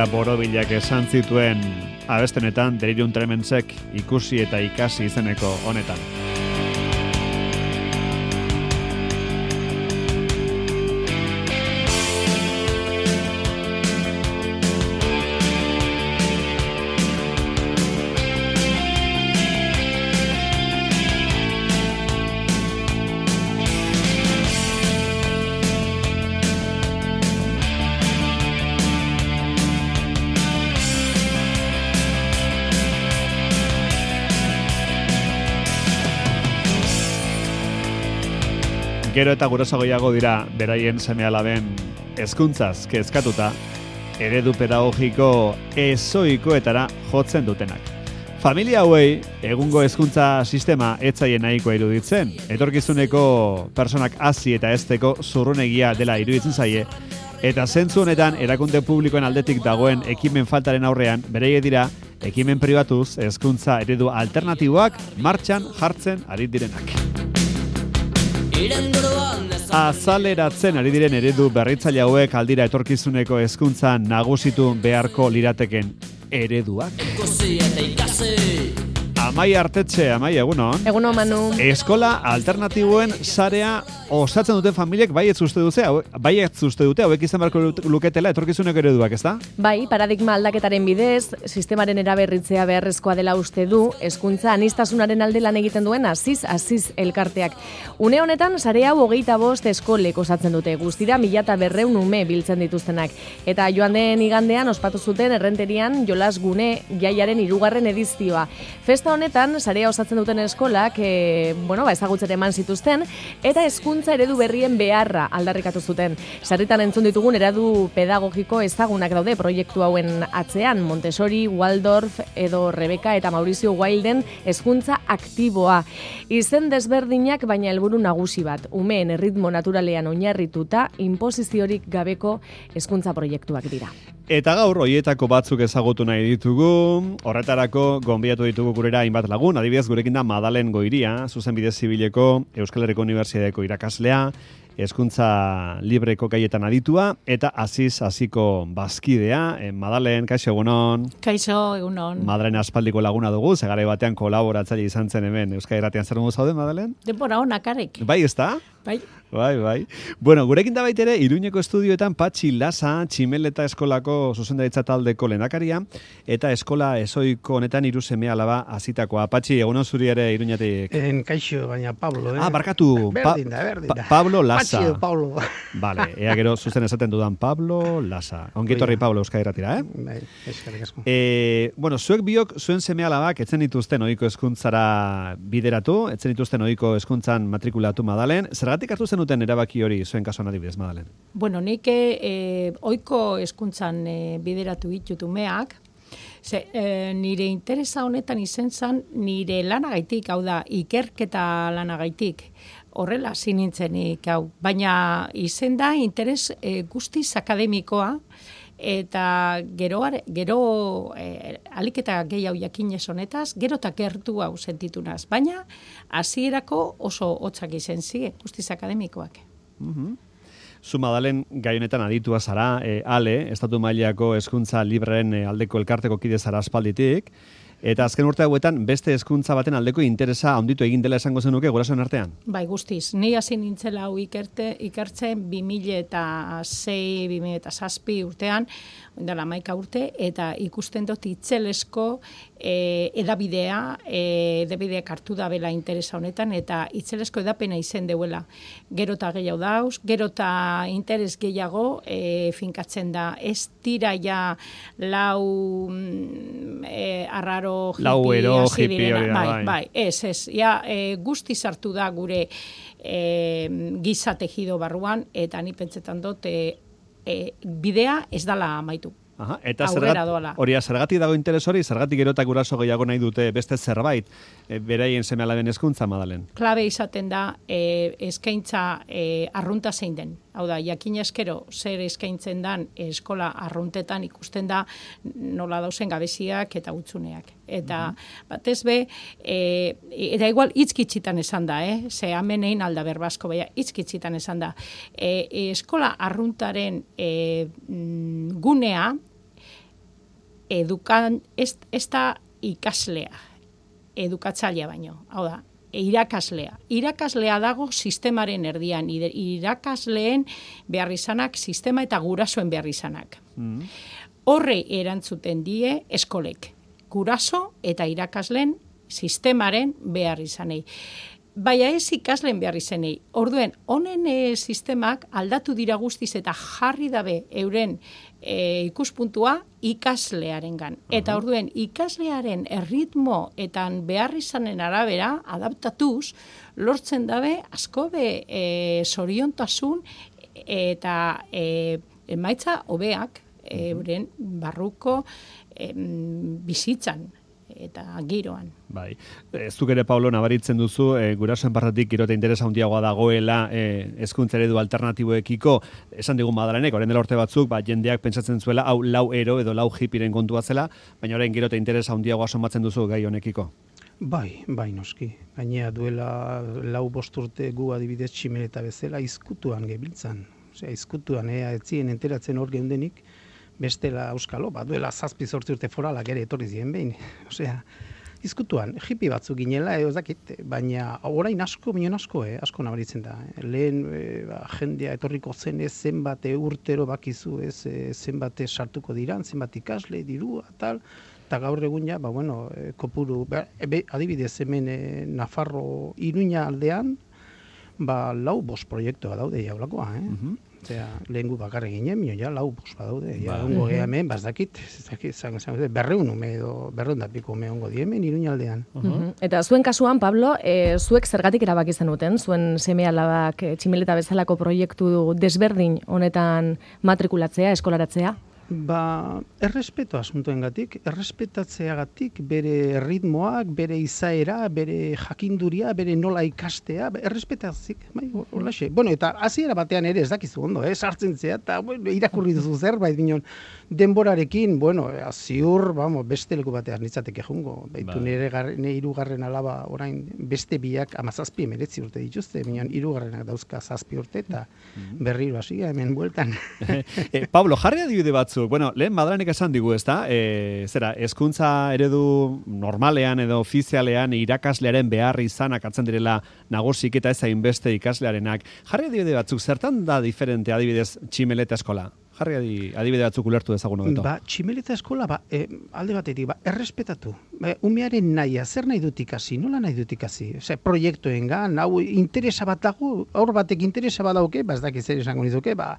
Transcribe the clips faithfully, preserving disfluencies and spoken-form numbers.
Maria Borobilak esan zituen abestenetan Delirium Tremensek ikusi eta ikasi izeneko honetan. Gero eta gurasoagoiago dira beraien seme-alaben hezkuntzaz kezkatuta eredu pedagogiko ezoikoetara jotzen dutenak. Familia hauei egungo hezkuntza sistema ez zaie nahikoa iruditzen, etorkizuneko personak hazi eta hezteko zurrunegia dela iruditzen zaie, eta zentzu honetan erakunde publikoen aldetik dagoen ekimen faltaren aurrean bereie dira ekimen pribatuz hezkuntza eredu alternatiboak martxan jartzen ari direnak. Azaleratzen ari diren eredu berritzaile hauek aldira etorkizuneko hezkuntza nagusitu beharko lirateken ereduak. Amai Artetxe, Amai, egunon. Egunon, Manu. Eskola alternatiboen sarea osatzen duten familiek bai ez uste dute, bai ez uste dute, hauek izan beharko luketela etorkizuneko ereduak, ezta? Bai, paradigma aldaketaren bidez, sistemaren eraberritzea beharrezkoa dela uste du, hezkuntza anistasunaren alde lan egiten duen aziz, aziz elkarteak. Une honetan, sare hau hogeita bost eskolek osatzen dute, guztira mila eta berreun ume biltzen dituztenak. Eta joan den igandean ospatu zuten errenterian jolas gune jaiaren hirugarren edizioa. Festa honetan, sarea osatzen duten eskolak, e, bueno, ba, ezagutzera eman zituzten, eta hezkuntza eredu berrien beharra aldarrikatu zuten. Sarritan entzun ditugun eredu pedagogiko ezagunak daude proiektu hauen atzean, Montessori, Waldorf, edo Rebeka eta Maurizio Wilden hezkuntza aktiboa. Izen desberdinak baina helburu nagusi bat, umeen erritmo naturalean oinarrituta, inposiziorik gabeko hezkuntza proiektuak dira. Eta gaur, hoietako batzuk ezagutu nahi ditugu, horretarako gonbidatu ditugu gurera hainbat lagun, adibidez gurekin da Madalen Goiria, zuzenbide zibileko Euskal Herriko Unibertsitateko irakaslea, hezkuntza libreko gaietan aditua, eta aziz aziko bazkidea. Eh, Madalen, kaixo egunon. Kaixo egunon. Madalen aspaldiko laguna dugu, zegare batean kolaboratzaile izan zen hemen Euskal Irratian. Zer modu zaude, Madalen? Denbora honak arek. Bai, ezta? Bai. Bai, bai. Bueno, gurekin da baitere, Iruñeko estudioetan Patxi Lasa, Tximeleta eskolako zuzendaritza taldeko lehendakaria, eta eskola ezoiko honetan hiru seme alaba hazitakoa. Patxi, egunon zuri ere Iruñatik. En kaixo, baina Pablo, eh? Ah, barkatu. Berdin da, berdin da. Pa Pablo Lasa. Patxi edo Pablo. Vale, ea gero zuzen esaten dudan Pablo Lasa. Ongitorri Pablo Euskal Irratira, eh? Bai, eskerrik asko. Eh, bueno, zuek biok zuen seme alabak etzen dituzten ohiko hezkuntzara bideratu, etzen dituzten ohiko hezkuntzan matrikulatu Madalen. Zergatik hartu zenuten erabaki hori zuen kasuan adibidez, Madalen? Bueno, nik eh, ohiko hezkuntzan eh, bideratu ditut umeak, ze, eh, nire interesa honetan izen zan nire lanagaitik, hau da, ikerketa lanagaitik. Horrela sinintzenik, hau. Baina izen da interes eh, guztiz akademikoa, eta gero, gero eh, aliketa gehiago jakinez honetaz, gero eta gertu hau sentitunaz. Baina, hasierako oso hotzak izen ziren, guztiz akademikoak. Mhm. Zu Madalen gai honetan aditua zara, e, ale, estatu mailako hezkuntza libreren e, aldeko elkarteko kide zara aspalditik, eta azken urte hauetan beste hezkuntza baten aldeko interesa handitu egin dela esango zenuke gurasoen artean? Bai, guztiz. Ni hasi nintzela hau ikerte, ikertzen bi mila sei, bi mila zazpi urtean, dela hamaika urte, eta ikusten dut itzelesko e, edabidea, e, edabideak hartu da bela interesa honetan, eta itzelesko edapena izen deuela. Gero eta gehiago dauz, gero eta interes gehiago e, finkatzen da. Ez dira ja lau e, arraro lau ero hippie hori da, bai, bai. bai, ez, ez, ja, e, guzti sartu da gure e, giza tejido barruan, eta ni pentsetan dut e, e, bidea ez dala amaitu. Aha, eta Aurrera zergat, doala. hori, zergatik dago interes hori, zergatik gero eta guraso gehiago nahi dute beste zerbait, e, beraien seme alaben hezkuntza, Madalen? Klabe izaten da e, eskaintza e, arrunta zein den. Hau da, jakin eskero zer eskaintzen dan eskola arruntetan ikusten da nola dauzen gabeziak eta utzuneak. Eta mm-hmm. batez be, e, eta igual itzkitzitan esan da, eh? Ze hemen egin alda berbasko, baina itzkitzitan esan da. E, e, eskola arruntaren e, gunea edukan, ez, ez da ikaslea, edukatzailea baino, hau da, irakaslea. Irakaslea dago sistemaren erdian, irakasleen behar izanak, sistema eta gurasoen behar izanak. Mm. Horre erantzuten die eskolek, guraso eta irakasleen sistemaren behar izanei. Baina ez ikasleen behar izanei. Orduen, honen e, sistemak aldatu dira guztiz eta jarri dabe euren e, ikuspuntua ikaslearengan. Uh-huh. Eta orduen, ikaslearen erritmo eta behar izanen arabera, adaptatuz, lortzen dabe asko be e, zoriontasun eta e, emaitza hobeak euren barruko e, bizitzan eta giroan. Bai. Ez duk ere, Paulo, nabaritzen duzu, e, gurasoen partetik gero eta interesa handiagoa dagoela e, hezkuntza eredu alternatiboekiko, esan digun Madalenek, orain dela urte batzuk, ba, jendeak pentsatzen zuela, hau lau ero edo lau hipiren kontua zela, baina orain gero eta interesa handiagoa somatzen duzu gai honekiko. Bai, bai noski. Gainea duela lau bost urte gu adibidez Tximeleta bezala izkutuan gebiltzan. Osea, izkutuan, ea, etzien enteratzen hor geundenik, bestela euskalo, ba, duela zazpi zortzi urte foralak ere etorri ziren behin. Osea, izkutuan, hipi batzuk ginela, edo zakit, baina orain asko, minon asko, eh, asko nabaritzen da. Eh. Lehen e, ba, jendea etorriko zen ez zenbat urtero bakizu ez e, zenbat sartuko diran, zenbat ikasle, dirua, tal, eta gaur egun ja, ba, bueno, e, kopuru, ba, ebe, adibidez hemen e, Nafarro Iruña aldean, ba, lau bost proiektua daude jaulakoa, eh? Uh-huh. Osea, lehen gu bakarrik ginen, mio ja, lau bost badaude. Ja, bai. Ongo geha hemen, bazdakit, berreun ume edo berreun dapiko ume ongo diemen Iruñaldean. Uh-huh. Eta zuen kasuan, Pablo, e, zuek zergatik erabaki zenuten, zuen seme alabak e, Tximeleta bezalako proiektu desberdin honetan matrikulatzea, eskolaratzea? Ba, errespeto asuntoengatik, errespetatzeagatik bere ritmoak, bere izaera, bere jakinduria, bere nola ikastea, errespetatzik, bai, holaxe. Bueno, eta hasiera batean ere ez dakizu ondo, eh, sartzen zea, eta bueno, irakurri duzu zerbait, binon, denborarekin, bueno, ziur, vamos, beste leku batean nitzateke jungo, baitu nire ne hirugarren alaba orain beste biak amazazpi emeretzi urte dituzte, binon, hirugarrenak dauzka zazpi urte, eta berriro hasia hemen bueltan. eh, Pablo, jarri adibide batzu. Bueno, lehen Madalenek esan digu, ezta? E, zera, hezkuntza eredu normalean edo ofizialean irakaslearen behar izanak atzen direla nagusik eta ez hainbeste ikaslearenak. Jarri adibide batzuk, zertan da diferente adibidez Tximeleta eskola? Jarri adibide batzuk ulertu dezagun hobeto. Ba, Tximeleta eskola, ba, e, alde batetik, ba, errespetatu. Ba, umearen nahia, zer nahi dut ikasi, nola nahi dut ikasi? Osea, proiektuengan, hau interesa bat dago, aur batek interesa bat dauke, ba, ez dakit zer esango nizuke, ba,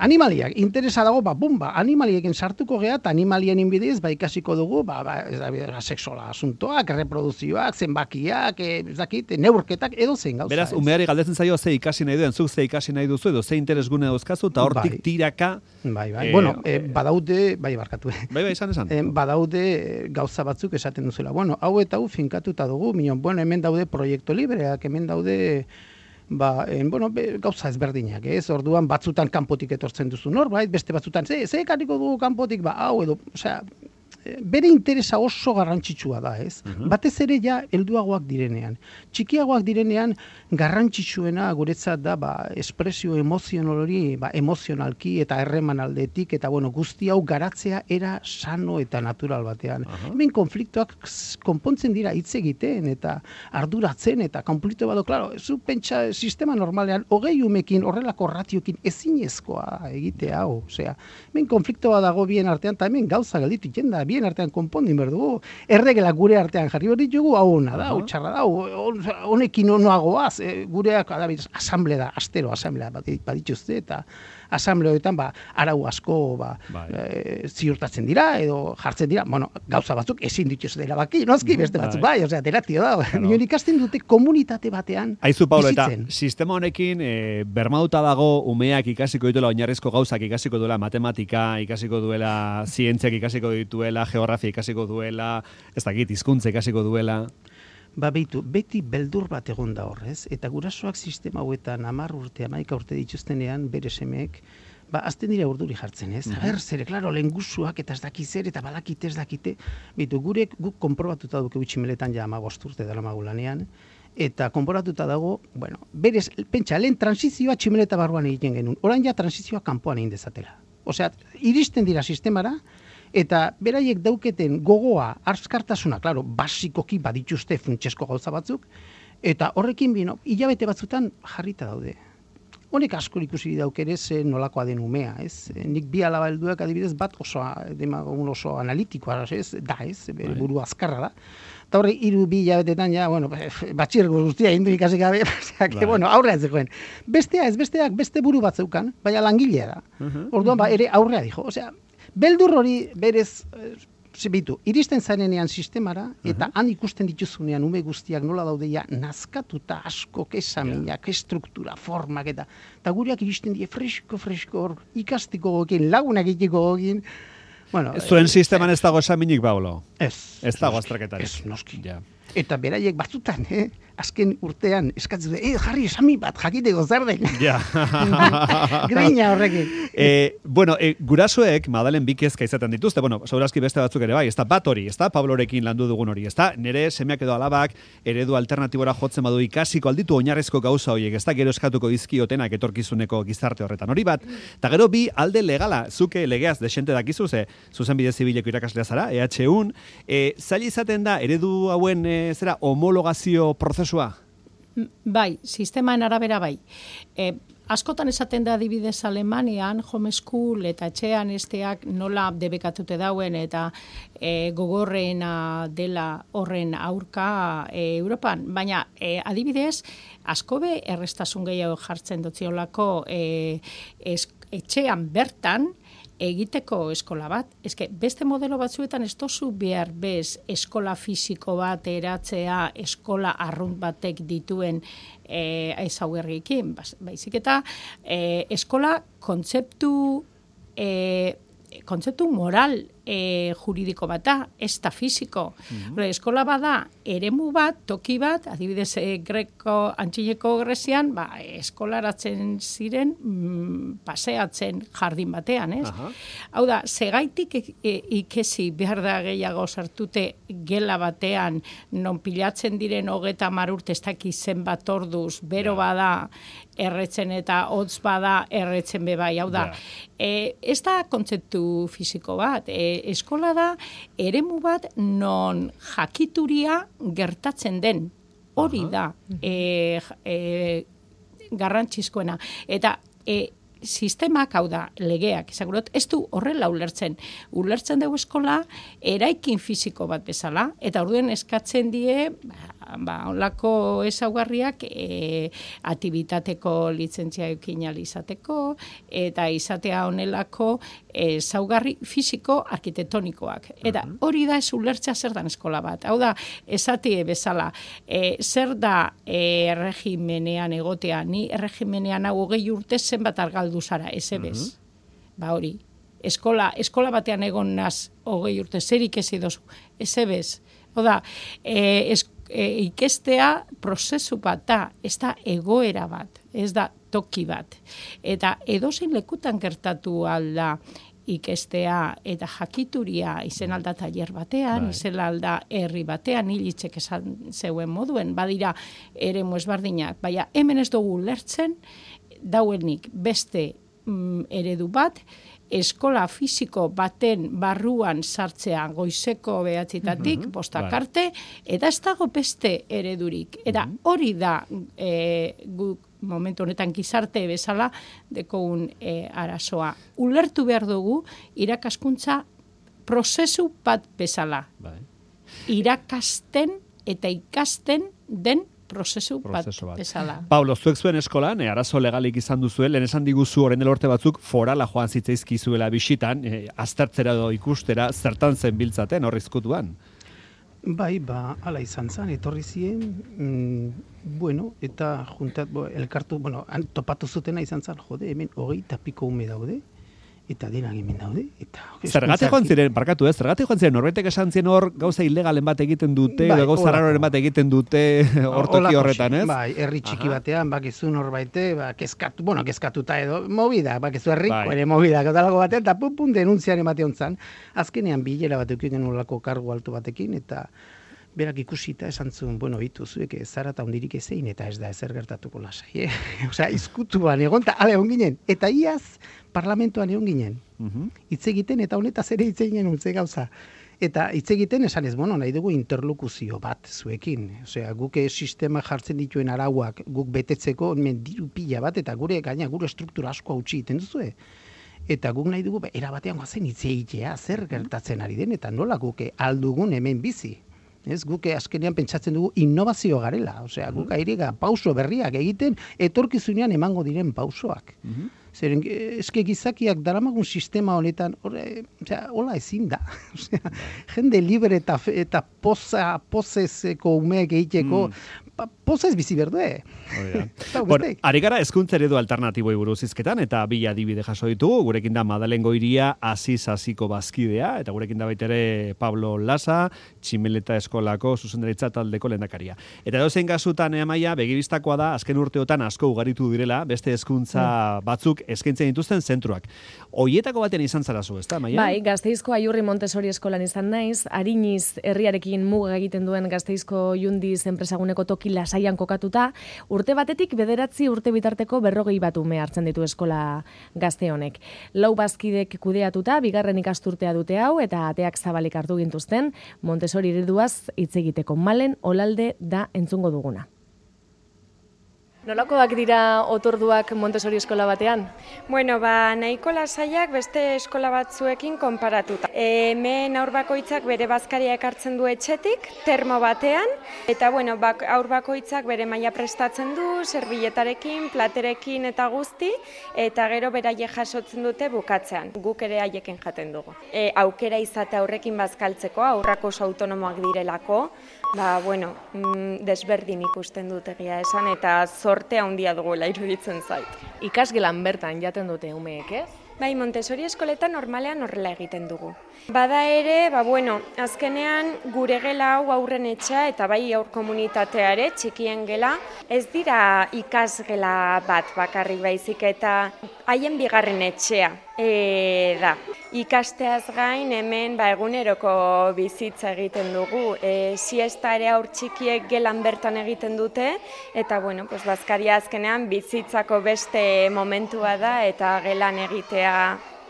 animaliak, interesa dago, ba, bum, ba, animaliekin sartuko geha, eta animalien inbidez, ba, ikasiko dugu, ba, ba, ez da, sexuala asuntoak, reproduzioak, zenbakiak, ez dakit, neurketak, edo zen gauza. Beraz, umeari galdetzen zaio ze ikasi nahi duen, zuk ze ikasi nahi duzu, edo ze interesgune dauzkazu, eta hortik bai. tiraka... Bai, bai, eh, bueno, eh, badaude, bai, barkatu, bai, bai, esan, esan. Eh, badaude gauza batzuk esaten duzula. Bueno, hau eta hau finkatuta dugu, minon, bueno, hemen daude proiektu libreak, hemen daude... Ba, en, bueno, be, gauza ezberdinak, ez? Orduan batzutan kanpotik etortzen duzu norbait, beste batzutan, ze, ze ekarriko dugu kanpotik, ba, hau edo, osea, bere interesa oso garrantzitsua da, ez? Uh-huh. Batez ere ja helduagoak direnean. Txikiagoak direnean garrantzitsuena guretzat da, ba, espresio emozional hori, ba, emozionalki eta erremanaldetik, eta bueno, guzti hau garatzea era sano eta natural batean. Uh-huh. Hemen konfliktoak konpontzen dira hitz egiten eta arduratzen eta konflikto bado, claro, zu pentsa sistema normalean hogei umekin horrelako ratiokin ezinezkoa egitea hau, osea, hemen konfliktoa dago bien artean, eta hemen gauza gelditu jenda, bien artean konpondin behar dugu, erregelak gure artean jarri behar ditugu, hau hona da, hau txarra da, honekin onoagoaz, e, gureak adabidez, asamble da, astero asamblea badituzte, eta asambleoetan ba, arau asko ba, e, ziurtatzen dira, edo jartzen dira, bueno, gauza batzuk ezin dituzte erabaki, noski, beste batzuk bai, osea, teratio da, claro. Ikasten dute komunitate batean Aizu, Paulo, bizitzen. Eta sistema honekin e, bermauta dago umeak ikasiko dituela oinarrizko gauzak ikasiko duela matematika, ikasiko duela zientziak ikasiko dituela, geografia ikasiko duela, ez dakit, hizkuntza ikasiko duela. Ba, beitu, beti beldur bat egon da horrez, eta gurasoak sistema hauetan hamar urte, hamaika urte dituztenean, bere semeek, ba, azten dira urduri jartzen, ez? Mm-hmm. Ber, zere, klaro, lengusuak eta ez dakizer, eta badakite ez dakite, beitu, gurek guk konprobatuta duke Tximeletan ja hamabost urte dela magulanean, eta konporatuta dago, bueno, berez, pentsa, lehen transizioa Tximeleta barruan egiten genuen, orain ja transizioa kanpoan egin dezatela. Osea, iristen dira sistemara, Eta beraiek dauketen gogoa, arskartasuna, claro, basikoki badituzte funtsesko gauza batzuk, eta horrekin bino, hilabete batzutan jarrita daude. Honek asko ikusi dauk ere ze nolakoa den umea, ez? Nik bi alaba helduak adibidez bat oso demagun oso analitikoa, ez? Da, ez? Bere buru azkarra da. Eta horre hiru bi hilabetetan ja, bueno, batxirgo guztia indu ikasi gabe, osea, que bueno, aurrea ez zegoen. Bestea ez besteak beste buru bat zeukan, baina langilea da. Orduan ba ere aurrea dijo, osea, beldur hori berez Zibitu, iristen zarenean sistemara, eta han ikusten dituzunean ume guztiak nola daudeia nazkatuta asko, kesaminak, estruktura, formak, eta eta gureak iristen die fresko-fresko hor, ikastiko gokin, lagunak ikiko gokin. Bueno, Zuen sisteman ez dago esaminik, Paulo? Ez. Ez dago azterketarik. Ez, noski. Ja. Eta beraiek batzutan, eh? azken urtean eskatzen dute, eh, jarri esami bat, jakiteko zer den. Ja. Greina horrekin. E, bueno, e, gurasoek Madalen bi kezka izaten dituzte, bueno, segurazki beste batzuk ere bai, ez da bat hori, ez da Pablorekin landu dugun hori, ez da nire semeak edo alabak eredu alternatibora jotzen badu ikasiko alditu oinarrezko gauza horiek, ez da gero eskatuko dizkiotenak etorkizuneko gizarte horretan, hori bat, eta gero bi alde legala, zuke legeaz desente dakizu, ze zuzenbide zibileko irakaslea zara, E H un, e, zaila izaten da eredu hauen e, zera homologazio prozesua? Bai, sisteman arabera bai. E, askotan esaten da adibidez Alemanian, homeschool eta etxean esteak nola debekatute dauen eta e, gogorrena dela horren aurka e, Europan. Baina e, adibidez, askobe errestasun gehiago jartzen dutziolako e, es, etxean bertan, egiteko eskola bat. Eske, beste modelo batzuetan ez tozu behar bez eskola fisiko bat eratzea eskola arrunt batek dituen e, ezaugarriekin. Baizik eta e, eskola kontzeptu e, kontzeptu moral e, juridiko bat da, ez da fisiko. Mm-hmm. Eskola bada eremu bat, toki bat, adibidez e, greko, antxineko Grezian, ba, eskolaratzen ziren mm, paseatzen jardin batean, ez? Aha. Hau da, segaitik e, e, ikesi behar da gehiago sartute gela batean, non pilatzen diren hogeta hamar urte ez daki zenbat orduz, bero yeah. bada erretzen eta hotz bada erretzen bebai. Hau da, yeah. e, ez da kontzeptu fisiko bat, e, eskola da eremu bat non jakituria gertatzen den. Hori da e, e, garrantzizkoena. Eta e, sistemak, hau da, legeak, izagurot, ez du horrela ulertzen. Ulertzen dugu eskola eraikin fisiko bat bezala, eta orduen eskatzen die, ba, onlako ezaugarriak e, aktibitateko lizentzia eukin izateko, eta izatea honelako ezaugarri fisiko arkitektonikoak. Eta hori da ez ulertzea zer dan eskola bat. Hau da, esatie bezala, e, zer da e, erregimenean egotea, ni erregimenean hau hogei urte zenbat argaldu zara, ez ebez. Ba hori, eskola, eskola batean egon naz hogei urte, zer ikesi dozu, ez ebez. Hau da, e, es, e, ikestea prozesu bat da, ez da egoera bat, ez da toki bat. Eta edozein lekutan gertatu alda ikestea eta jakituria izen alda tailer batean, bai. Izen alda herri batean, hilitzek esan zeuen moduen, badira eremu ezberdinak, baina hemen ez dugu lertzen, dauenik beste mm, eredu bat, eskola fisiko baten barruan sartzea goizeko behatzitatik, mm-hmm, bostak bai. Arte, eta ez dago beste eredurik. Eta mm-hmm. hori da e, guk momentu honetan gizarte bezala dekogun e, arazoa. Ulertu behar dugu irakaskuntza prozesu bat bezala. Bai. Irakasten eta ikasten den prozesu, prozesu bat, bat bezala. Paulo, zuek zuen eskolan, e, arazo legalik izan duzu, lehen esan diguzu orain dela urte batzuk forala joan zitzaizkizuela bisitan, e, aztertzera edo ikustera, zertan zen biltzaten, hor izkutuan? Bai, ba, ala izan zen, etorri ziren, mm, bueno, eta juntat, bo, elkartu, bueno, topatu zutena izan zen, jode, hemen hogei tapiko ume daude, eta denak hemen daude. Zergatik joan ziren, barkatu ez, zergatik joan ziren, norbaitek esan zien hor gauza ilegalen bat egiten dute, bai, gauza raroren bat egiten dute hortoki horretan, ez? Bai, herri txiki Aha. batean, bakizu norbaite, ba, kezkatu, bueno, kezkatuta edo, movida, bakizu herriko bai. Ere movida, katalago batean, eta pun, pun, denuntziaren batean zan, azkenean bilera bat eukiken olako kargu altu batekin, eta berak ikusita esan zuen, bueno, hitu zuek zara eta hondirik ezein eta ez da ezer gertatuko lasai, eh? Osea, izkutuan egon, eta ale egon ginen, eta iaz parlamentuan egon ginen, hitz egiten eta honetaz ere hitz eginen untze gauza. Eta hitz egiten esan ez, bueno, nahi dugu interlokuzio bat zuekin. Osea, guk sistema jartzen dituen arauak guk betetzeko hemen diru pila bat, eta gure gaina gure struktura asko hautsi egiten duzue. Eta guk nahi dugu, era batean goazen hitz egitea, zer gertatzen ari den, eta nola guk aldugun hemen bizi. Ez, guk azkenean pentsatzen dugu innovazio garela. Osea, guk airega pauso berriak egiten, etorkizunean emango diren pausoak. Zeren, eske gizakiak daramagun sistema honetan, hola ezin da. Osea, jende libre eta, eta poza, pozezeko umeak egiteko, mm. pozez bizi berdue. Bueno, ari gara hezkuntza eredu alternatiboi buruz hizketan, eta bi adibide jaso ditugu, gurekin da Madalen Goiria, Aziz Aziko bazkidea, eta gurekin da baita ere Pablo Lasa, Tximeleta Eskolako zuzendaritza taldeko lehendakaria. Eta dozein kasutan Amaia, begibistakoa da, azken urteotan asko ugaritu direla, beste hezkuntza mm. batzuk eskaintzen dituzten zentruak. Hoietako batean izan zara zu, ezta, Amaia? Bai, Gasteizko Aiurri Montessori eskolan izan naiz, Ariniz herriarekin muga egiten duen Gasteizko Jundiz enpresaguneko toki lasaian kokatuta, urte batetik bederatzi urte bitarteko berrogei bat ume hartzen ditu eskola gazte honek. Lau bazkidek kudeatuta, bigarren ikasturtea dute hau, eta ateak zabalik hartu gintuzten, Montessori ereduaz hitz egiteko. Malen Olalde da entzungo duguna. Nolakoak dira otorduak Montessori eskola batean? Bueno, ba, nahiko lasaiak beste eskola batzuekin konparatuta. Hemen aur bakoitzak bere bazkaria ekartzen du etxetik, termo batean, eta bueno, bak, aur bakoitzak bere maila prestatzen du, servilletarekin, platerekin eta guzti, eta gero beraie jasotzen dute bukatzean. Guk ere haieken jaten dugu. E, aukera izate aurrekin bazkaltzeko, aurrak oso autonomoak direlako, ba, bueno, mm, desberdin ikusten dut egia esan, eta zorte handia dugula iruditzen zait. Ikasgelan bertan jaten dute umeek, ez? Bai, Montessori eskoletan normalean horrela egiten dugu. Bada ere, ba bueno, azkenean gure gela hau aurren etxea eta bai aur komunitatea ere, txikien gela, ez dira ikasgela bat bakarrik baizik eta haien bigarren etxea e, da. Ikasteaz gain hemen ba, eguneroko bizitza egiten dugu. E, siesta ere aur txikiek gelan bertan egiten dute eta bueno, pues bazkaria azkenean bizitzako beste momentua da eta gelan egitea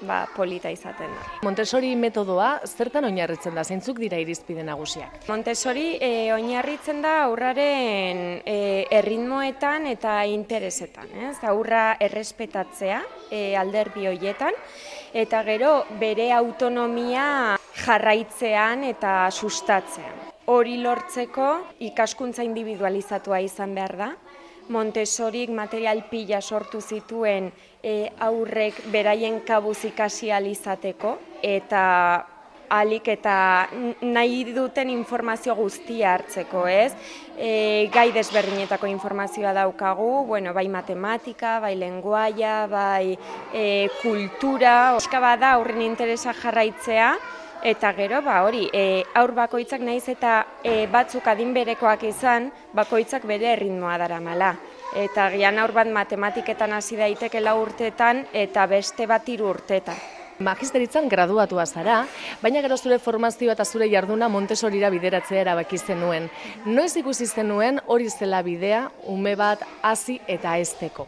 ba, polita izaten da. Montessori metodoa zertan oinarritzen da? Zeintzuk dira irizpide nagusiak? Montessori e, oinarritzen da aurraren e, erritmoetan eta interesetan. Ez? Aurra errespetatzea e, alderdi horietan, eta gero bere autonomia jarraitzean eta sustatzean. Hori lortzeko ikaskuntza individualizatua izan behar da. Montessorik material pila sortu zituen e, aurrek beraien kabuz ikasi ahal izateko eta ahalik eta nahi duten informazio guztia hartzeko, ez? E, gai desberdinetako informazioa daukagu, bueno, bai matematika, bai lenguaia, bai e, kultura, oska bada aurren interesa jarraitzea. Eta gero, ba hori, e, aur bakoitzak naiz eta e, batzuk adin berekoak izan, bakoitzak bere erritmoa daramala. Eta gian aur bat matematiketan hasi daiteke lau urteetan eta beste bat hiru urteetan. Magisteritzan graduatua zara, baina gero zure formazioa eta zure jarduna Montessorira bideratzea erabaki zenuen. Noiz ikusi zenuen hori zela bidea ume bat hasi eta hezteko?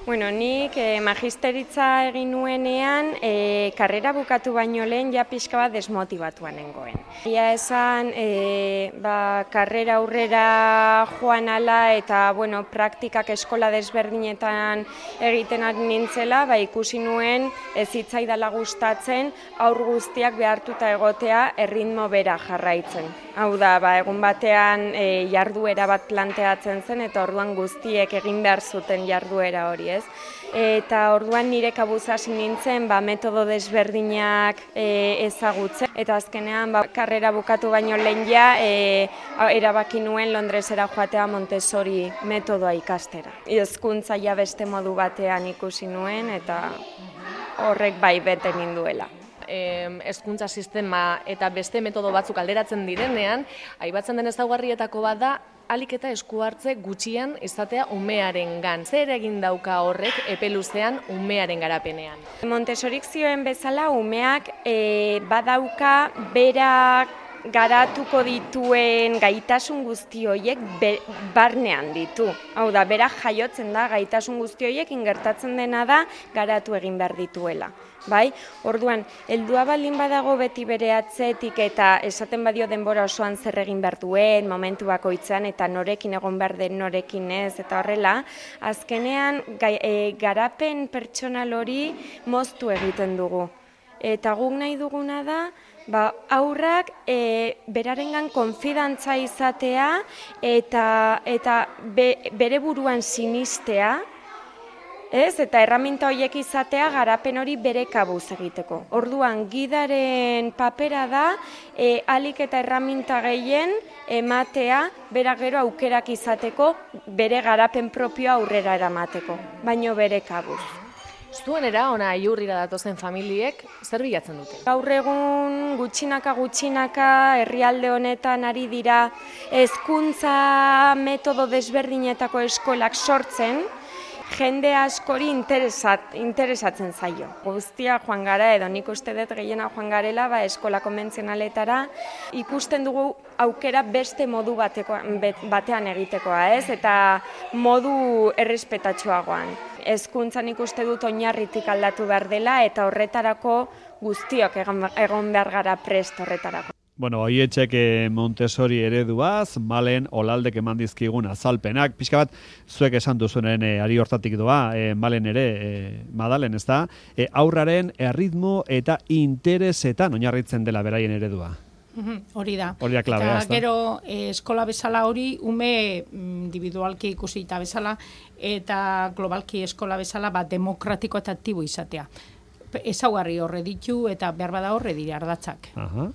Bueno, nik eh, magisteritza egin nuenean eh, karrera bukatu baino lehen ja pixka bat desmotibatuan nengoen. Ia esan, eh, ba, karrera aurrera joan ala eta bueno, praktikak eskola desberdinetan egiten ari nintzela, ba, ikusi nuen ez hitzaidala gustatzen aur guztiak behartuta egotea erritmo bera jarraitzen. Hau da, ba, egun batean e, jarduera bat planteatzen zen eta orduan guztiek egin behar zuten jarduera hori, ez? Eta orduan nire kabuz hasi nintzen ba, metodo desberdinak e, ezagutzen. Eta azkenean ba, karrera bukatu baino lehen ja e, erabaki nuen Londresera joatea Montessori metodoa ikastera. Hezkuntza ja beste modu batean ikusi nuen eta horrek bai bete ninduela. Hezkuntza sistema eta beste metodo batzuk alderatzen direnean, aipatzen den ezaugarrietako bat da ahalik eta esku hartze gutxian izatea umearengan. Zer egin dauka horrek epe luzean umearen garapenean? Montessorik zioen bezala umeak e, badauka berak garatuko dituen gaitasun guzti horiek be, barnean ditu. Hau da, bera jaiotzen da gaitasun guzti horiek ingertatzen dena da garatu egin behar dituela. Bai? Orduan, heldua baldin badago beti bere atzetik eta esaten badio denbora osoan zer egin behar duen, momentu bakoitzean eta norekin egon behar den norekin ez, eta horrela, azkenean gai, e, garapen pertsonal hori moztu egiten dugu. Eta guk nahi duguna da, ba, aurrak e, berarengan konfidantza izatea eta, eta be, bere buruan sinistea, ez? Eta erraminta horiek izatea garapen hori bere kabuz egiteko. Orduan, gidaren papera da, e, alik eta erraminta gehien ematea, bera gero aukerak izateko, bere garapen propioa aurrera eramateko, baino bere kabuz. Zuenera, ona iurrira datozen familiek, zer bilatzen dute? Gaur egun gutxinaka gutxinaka herrialde honetan ari dira hezkuntza metodo desberdinetako eskolak sortzen, jende askori interesat, interesatzen zaio. Guztia joan gara edo nik uste dut gehiena joan garela ba, eskola konbentzionaletara ikusten dugu aukera beste modu bateko, batean egitekoa, ez? Eta modu errespetatsuagoan. Hezkuntzan ikuste dut oinarritik aldatu behar dela eta horretarako guztiok egon behar gara prest horretarako. Bueno, Oietxek Montessori ereduaz, Malen Olaldek eman dizkigun azalpenak. Pixka bat, zuek esan duzuen e, ari hortatik doa, e, Malen ere, e, Madalen, ez da, e, aurraren erritmo eta interesetan oinarritzen dela beraien eredua. Hori da. Hori da klabea, ez da. Gero eh, eskola bezala hori, ume individualki ikusi eta bezala, eta globalki eskola bezala, ba, demokratiko eta aktibo izatea. Ezaugarri horre ditu eta behar bada horre dira ardatzak. Aha.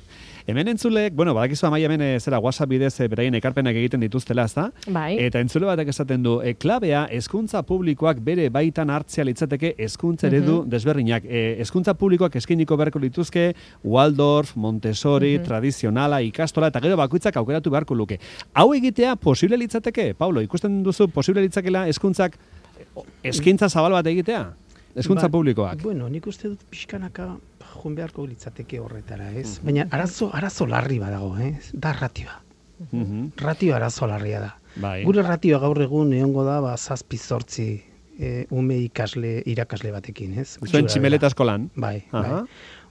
Hemen entzulek, bueno, badakizu amaia hemen e, zera WhatsApp bidez e, beraien ekarpenak egiten dituztela, ez da? Bai. Eta entzule batek esaten du, e, klabea hezkuntza publikoak bere baitan hartzea litzateke hezkuntza eredu uh-huh. desberdinak. E, hezkuntza publikoak eskainiko beharko lituzke Waldorf, Montessori, uh-huh. tradizionala, ikastola, eta gero bakoitzak aukeratu beharko luke. Hau egitea posible litzateke? Paulo, ikusten duzu posible litzakela hezkuntzak eskaintza zabal bat egitea? Hezkuntza ba, publikoak. Bueno, nik uste dut pixkanaka joan beharko litzateke horretara, ez? Baina arazo, arazo larri badago, ez? Da ratioa. Uh-huh. Ratio arazo larria da. Bai. Gure ratioa gaur egun egongo da, ba, zazpi zortzi e, ume ikasle, irakasle batekin, ez? Zuen tximeleta eskolan. Bai, Aha. bai.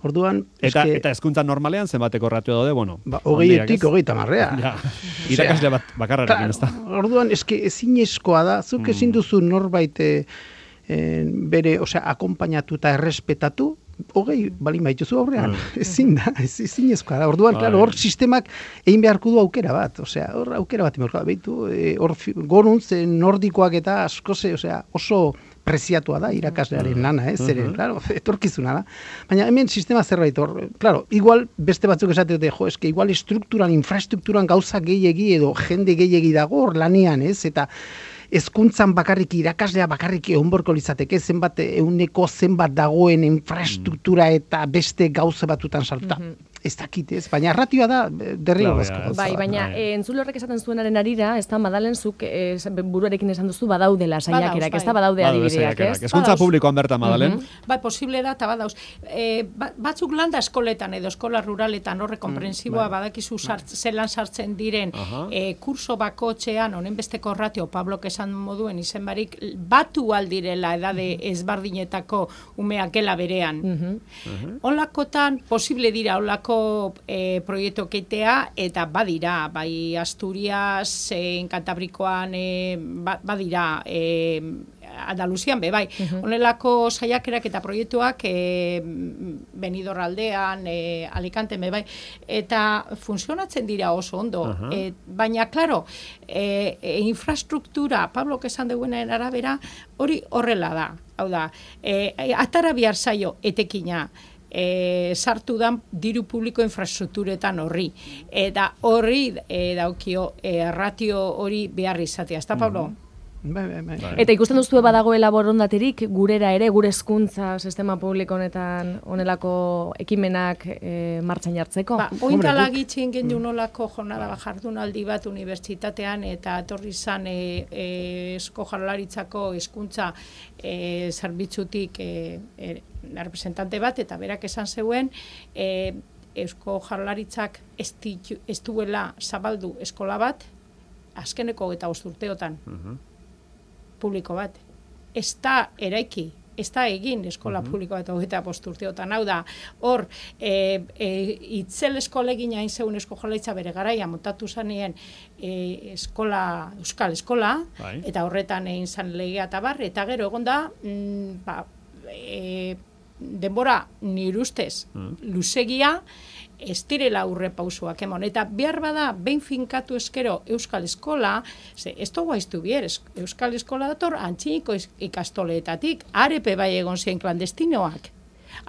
Orduan, eta, eske, eta hezkuntza normalean zenbateko ratio daude, bueno. Ba, hogeietik hogeita marrea. Ja, irakasle bat bakarrarekin, ez da. Orduan, eske ezin eskoa da, zuk ezin duzu norbait e, e, bere, osea, akompainatu eta errespetatu, hogei balin baituzu aurrean, mm. ezin da, ez, ezin ezkoa da. Orduan, klaro, hor sistemak egin beharko du aukera bat, osea, hor aukera bat emerko da, behitu, hor e, goruntz e, nordikoak eta asko ze, osea, oso preziatua da irakaslearen lana, ez, zeren, claro, etorkizuna da. Baina hemen sistema zerbait hor, claro, igual beste batzuk esate dute, jo, eske igual estrukturan, infraestrukturan gauza gehiegi edo jende gehiegi dago hor lanean, ez, eta hezkuntzan bakarrik irakaslea bakarrik egonborko litzateke zenbat euneko zenbat dagoen infrastruktura eta beste gauza batutan salta. Mm-hmm. Ez dakit, ez, baina ratioa da derrigorrezko. Bai, baina e, entzule horrek esaten zuenaren arira, ez da Madalen zuk e, buruarekin esan duzu badaudela saiakerak, ez da badaude adibideak, ez? Hezkuntza publikoan bertan, Madalen? Mm-hmm. Bai, posible da, eta badauz. E, batzuk landa eskoletan edo eskola ruraletan horre komprensiboa mm, badakizu sart, zelan sartzen diren e, kurso bakotxean, honen besteko ratio, Pablok esan moduen izen barik, batu aldirela edade ezbardinetako umeak gela berean. Mm-hmm. Olakotan, posible dira olako E, proiektu keitea, eta badira, bai Asturias, e, Kantabrikoan, e, ba, badira, e, Andaluzian be, bai. Uh-huh. Honelako saiakerak eta proiektuak e, Benidorraldean, e, Alicante be, bai. Eta funtzionatzen dira oso ondo. Uh-huh. E, baina, klaro, e, e, infrastruktura, Pablok esan duenaren arabera, hori horrela da. Hau da, e, atara bihar zaio etekina, E, sartu dan diru publiko infrastrukturetan horri. Eta horri e, daukio e, ratio hori behar izatea. Ez da, Pablo? Bai, bai, bai. Eta ikusten duzue badagoela borondaterik gurera ere, gure hezkuntza sistema publiko honetan honelako ekimenak e, martxan jartzeko? Ba, ointala gitzien gendu nolako jornada ba, jardunaldi bat unibertsitatean eta etorri zan e, e, esko jarlaritzako hezkuntza e, zerbitzutik e, e, representante bat, eta berak esan zeuen, e, Eusko Jaurlaritzak ez, ditu, ez duela zabaldu eskola bat, azkeneko eta urteotan uh-huh. publiko bat. Ez da eraiki, ez da egin eskola uh-huh. publiko bat eta bost urteotan. Hau da, hor, e, e, itzel eskolegin hain zeun Eusko Jaurlaritza bere garaia montatu zanien e, eskola, euskal eskola, Bye. Eta horretan egin zan legea eta bar, eta gero egon da, mm, ba, e, denbora nire ustez uh-huh. luzegia, ez direla aurre pausuak emon. Eta behar bada, behin finkatu eskero Euskal Eskola, ze, ez dugu aiztu bier, Euskal Eskola dator antxiniko ikastoleetatik, arepe bai egon ziren klandestinoak,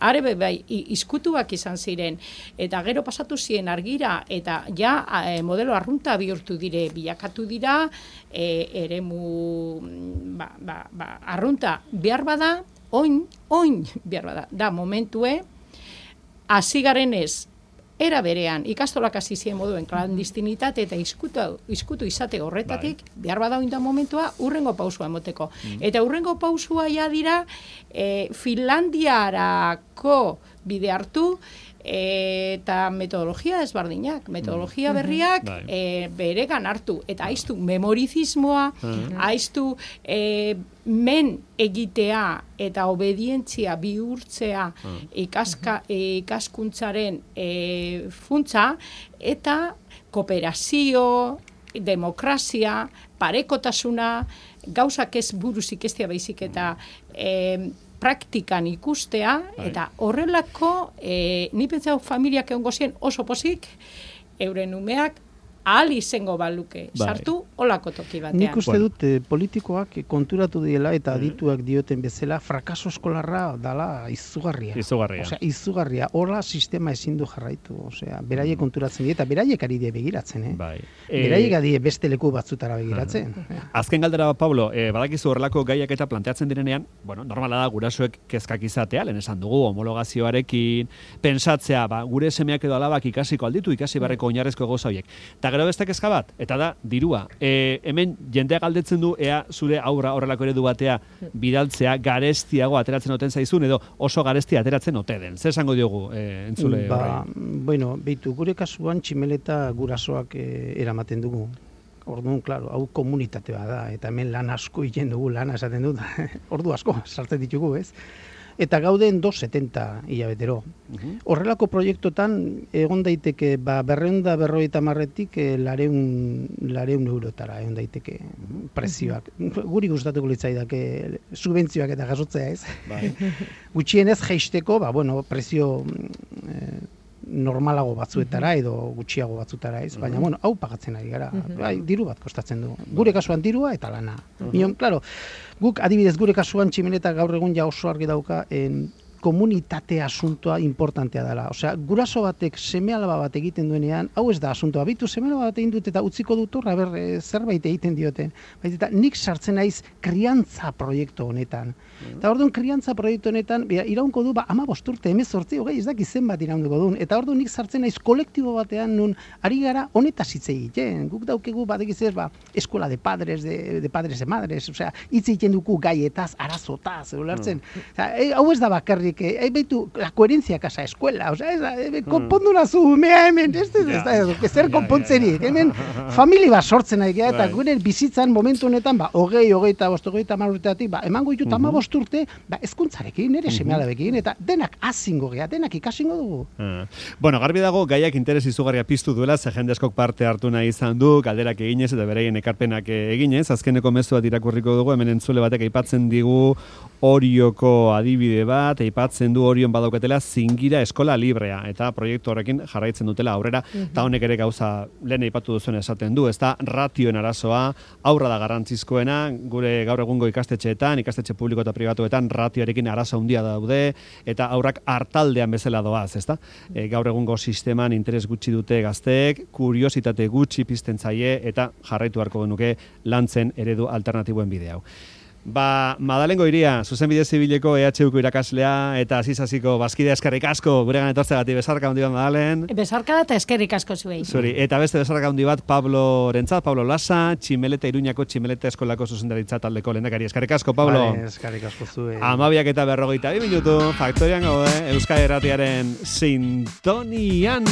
arepe bai izkutuak izan ziren, eta gero pasatu ziren argira, eta ja e, modelo arrunta bihurtu dire, bilakatu dira, e, eremu ba, ba, ba, arrunta behar bada, oin, oin behar bada, da momentue, hasi garen ez, era berean, ikastolak hasi zien moduen klandestinitate eta izkutu, izkutu izate horretatik, bai. Behar bada oinda momentua, urrengo pausua emoteko. Mm. Eta urrengo pausua ja dira, e, Finlandiarako bide hartu, eta metodologia ezberdinak, metodologia berriak mm-hmm. e, beregan hartu, eta aiztu memorizismoa, mm-hmm. aiztu e, men egitea eta obedientzia bihurtzea mm-hmm. ikaska, e, ikaskuntzaren e, funtza, eta kooperazio, demokrazia, parekotasuna, gauzak ez buruz ikestea baizik eta e, praktikan ikustea, Hai. Eta horrelako, e, ni pentsau familiak egon gozien oso pozik, euren umeak ahal izango baluke, bai. Sartu olako toki batean. Nik uste dut eh, politikoak konturatu diela eta adituak dioten bezala, frakaso eskolarra dala izugarria. Izugarria. Osea, izugarria. Horra sistema ezin du jarraitu. Osea, beraiek mm. konturatzen dira, eta beraiek ari die begiratzen, eh? Bai. Beraiek ari beste leku batzutara begiratzen. Uh-huh. Azken galdera, Pablo, eh, badakizu horrelako gaiak eta planteatzen direnean, bueno, normala da gurasoek kezkak izatea, lehen esan dugu, homologazioarekin, pensatzea, ba, gure semeak edo alabak ikasiko alditu, ikasi barreko oinarrezko gauza horiek. Ta gero beste kezka bat, eta da, dirua. E, hemen jendeak galdetzen du, ea zure aurra horrelako eredu batea bidaltzea garestiago ateratzen oten zaizun, edo oso garestia ateratzen ote den. Zer esango diogu e, entzule ba, horrei? Bueno, beitu, gure kasuan tximeleta gurasoak e, eramaten dugu. Orduan, klaro, hau komunitatea da, eta hemen lan asko egiten dugu, lana esaten dut, ordu asko sartzen ditugu, ez? Eta gauden dos setenta hilabetero. Uh-huh. Horrelako proiektotan egon daiteke ba, berreunda berroita marretik e, lareun, lareun eurotara egon daiteke prezioak. Uh-huh. Guri gustatuko litzaidake subentzioak eta jasotzea ez. Bai. Gutxienez jaisteko, ba, bueno, prezio e, normalago batzuetara edo gutxiago batzutara ez, baina bueno, hau pagatzen ari gara. Uh-huh. Bai, diru bat kostatzen du. Gure kasuan dirua eta lana. Uh-huh. Mion, claro, guk adibidez gure kasuan tximeleta gaur egun ja oso argi dauka en komunitate asuntoa importantea dela. Osea, guraso batek seme-alaba bat egiten duenean, hau ez da asuntoa. Bitu seme-alaba bat egin dut eta utziko dut horra ber e, zerbait egiten dioten. Baita nik sartzen naiz kriantza proiektu honetan. Eta orduan kriantza proiektu honetan iraunko du ba hamabost urte, hemezortzi, hogei, ez dakit zenbat iraunduko duen. Eta orduan nik sartzen naiz kolektibo batean nun ari gara honetaz hitz egiten. Guk daukegu badekiz ba eskola de padres, de, de padres de madres, osea, hitz egiten dugu gaietaz, arazotaz, ulertzen. Osea, e, hau ez da bakarrik que eh, beitu la coherencia casa escuela, o sea, eh, konpondu nazu umea hemen, ez ez da, zer konpontzerik, hemen familia bat sortzen ari gara, eta gure bizitzan momentu honetan, ba, hogei, hogeita, bost, hogeita hamar urteatik, ba, emango ditut hamabost urte, ba, hezkuntzarekin, nire seme-alabekin, eta denak azingo gea, denak ikasingo dugu. Bueno, garbi dago, gaiak interes izugarria piztu duela, ze jende askok parte hartu nahi izan du, galderak eginez, eta beraien ekarpenak eginez, azkeneko mezu bat irakurriko dugu, hemen entzule batek aipatzen digu Orioko adibide bat, aipatzen du Orion badaukatela zingira eskola librea, eta proiektu horrekin jarraitzen dutela aurrera, eta honek ere gauza lehen aipatu duzuen esaten du, ez da ratioen arazoa, aurra da garrantzizkoena, gure gaur egungo ikastetxeetan, ikastetxe publiko eta pribatuetan ratioarekin arazo handia daude, eta aurrak hartaldean bezala doaz, ez da? E, gaur egungo sisteman interes gutxi dute gazteek, kuriositate gutxi pizten zaie, eta jarraitu beharko genuke lantzen eredu alternatiboen bide hau. Ba, Madalengo Iria, zuzenbide zibileko E H Uko irakaslea eta azizaziko bazkidea eskerrik asko guregan etortzegatik besarka handi bat Madalen. Besarka da eta eskerrik asko zuei. Zuri, eta beste besarka handi bat Pablo Rentzat, Pablo Lasa, Tximeleta Iruñako Tximeleta Eskolako zuzendaritza taldeko lehendakari. Eskerrik asko, Pablo. Vale, eskerrik asko zuei. Amabiak eta berrogeita bi minutu, Faktorian gaude, Euskadi Erratiaren sintonian.